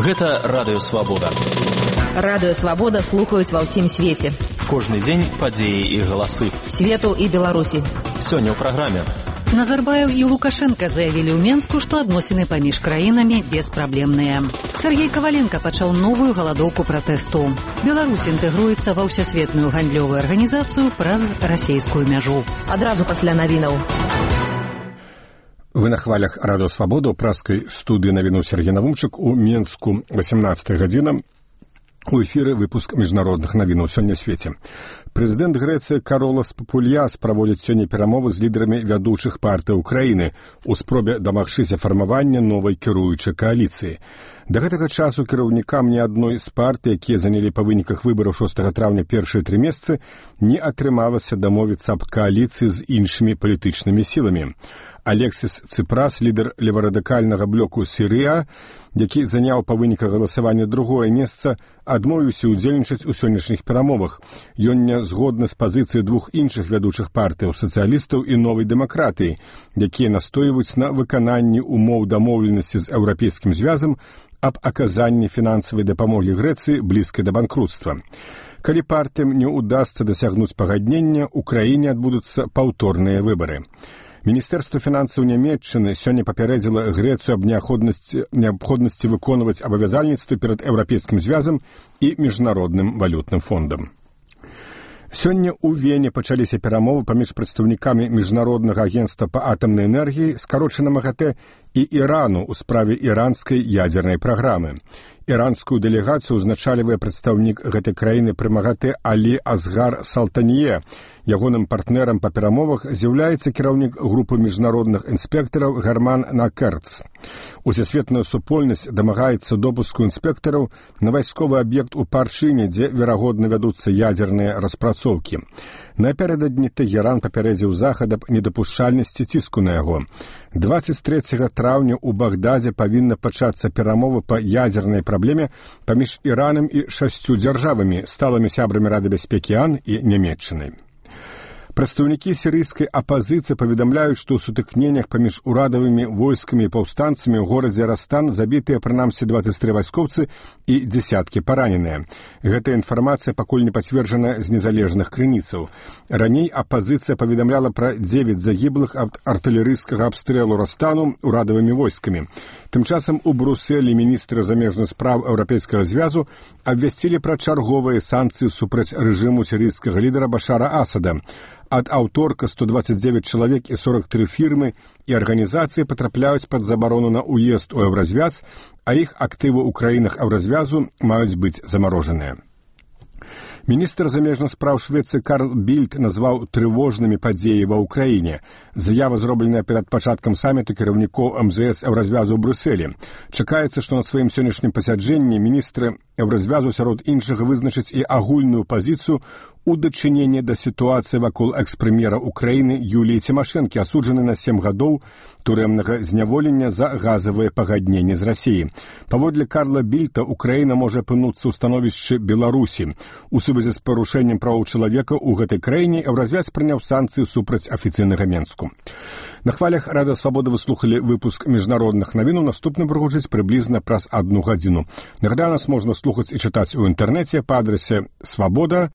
Гэта Радыё Свабода. Радыё Свабода слухаюць ва ўсім свеце. Кожны дзень падзеі і галасы. Свету і Беларусі. Сёння ў праграме. Назарбаев і Лукашенко заявілі ў Менску, што адносіны паміж краінамі беспраблемныя. Сергей Каваленко пачаў новую галадоўку пратэсту. Беларусь інтэгруецца ва ўсесветную гандлёвую арганізацыю праз расейскую мяжу. Адразу пасля навінаў. Вы на хвалях Радыё Свабода ў праскай студыі навіну Сергей Навумчык у Менску 18 гадзіна. У эфіры выпуск міжнародных навінаў сёння свеце. Прэзідэнт Грэцыі Каролас Папульяс праводзіць сёння перамовы з лідарамі вядучых партый Украіны у спробе дамагчыся фармавання новай кіруючай кааліцыі. Да гэтага часу кіраўнікам ні адной з партый, якія занялі па выніках выбараў 6 траўня першыя 3 месяцы, не атрымалася дамовіцца аб кааліцыі з іншымі палітычнымі сіламі. Алексіс Ципрас, лідар леварадыкальнага блоку Сірыя, які заняў па выніках галасавання другое месца, адмовіўся ўдзельнічаць у сённяшніх перамовах. Ён не згодны з пазіцыяй двух іншых вядучых партыяў, сацыялістаў і новай дэмакратыі, якія настойваюць на выкананні умоў дамоўленасці з Еўрапейскім звязам аб аказанні фінансавай дапамогі Грэцыі блізкай да банкрутства. Калі партыям не ўдасца дасягнуць пагаднення, у краіне адбудуцца паўторныя выбары. Міністэрства фінансаў Нямецчыны сёння папярэдзіла Грэцыю аб неабходнасці выконваць абавязальніцтвы перад Еўрапейскім звязам і міжнародным валютным фондам. Сёння ў Вене пачаліся перамовы паміж прадстаўнікамі міжнароднага агенцтва па атамнай энергіі, скарочана МАГАТЭ, і Ірану ў справе іранскай ядзернай праграмы. Іранскую дэлегацыю ўзначальвае прадстаўнік гэтай краіны пры МАГАТЭ Алі Азгар Салтанье. Ягоным партнерам па перамовах з'яўляецца кіраўнік групы міжнародных інспектараў Гарман Накерц. Усесветная супольнасць дамагаецца допуску інспектараў на вайсковы аб'ект у Парчыне, дзе, верагодна, вядуцца ядзерныя распрацоўкі. Напярэдадні Тэгеран папярэдзіў захад аб недапушчальнасці ціску на яго. 23 траўня ў Багдадзе павінна пачацца перамовы па ядзернай праблеме паміж Іранам і 6 дзяржавамі, сталымі сябрамі Рады бяспекі АН і Нямецчынай. Прадстаўнікі сірыйскай апазіцыі паведамляюць, што ў сутыкненнях паміж урадавымі войскамі і паўстанцамі ў горадзе Растан забітыя прынамсі 23 вайскоўцы і дзесяткі параненыя. Гэтая інфармацыя пакуль не пацверджана з незалежных крыніцаў. Раней апазіцыя паведамляла пра 9 загіблых ад артылерыйскага абстрэлу Растану урадавымі войскамі. Тым часам у Брусэлі міністры замежных спраў Еўрапейскага звязу абвясцілі пра чарговыя санкцыі супраць рэжыму сірыйскага лідара Башара Асада. Ад аўторка 129 чалавек і 43 фірмы і арганізацыі патрапляюць пад забарону на ўезд у Еўразвяз, а іх актывы ў краінах Еўразвязу маюць быць замарожаныя. Міністр замежных спраў Швецыі Карл Більд назваў трывожнымі падзеі ва ўкраіне. Заява зробленая перад пачаткам саміту кіраўнікоў МЗС Еўразвязу ў Брюсселі. Чакаецца, што на сваім сённяшнім пасяджэнні міністры Еўразвязу сярод іншага вызначаць і агульную пазіцыю у дачыненні да сітуацыі вакол экс-прэм'ера Украіны Юліі Цімашэнкі, асуджаны на 7 гадоў турэмнага зняволення за газавыя пагадненні з Расіі. Паводле Карла Більта, Украіна можа апынуцца ў становішчы Беларусі. У сувязі з парушэннем правоў чалавека ў гэтай краіне Еўразвяз прыняў санкцыі супраць афіцыйнага Менску. На хвалях Радыё Свабода вы слухалі выпуск міжнародных навінаў. Наступны прагучыць прыблізна праз 1 гадзіну. Нагадаю, нас можна слухаць і чытаць у інтэрнэце па адрасе swaboda.org.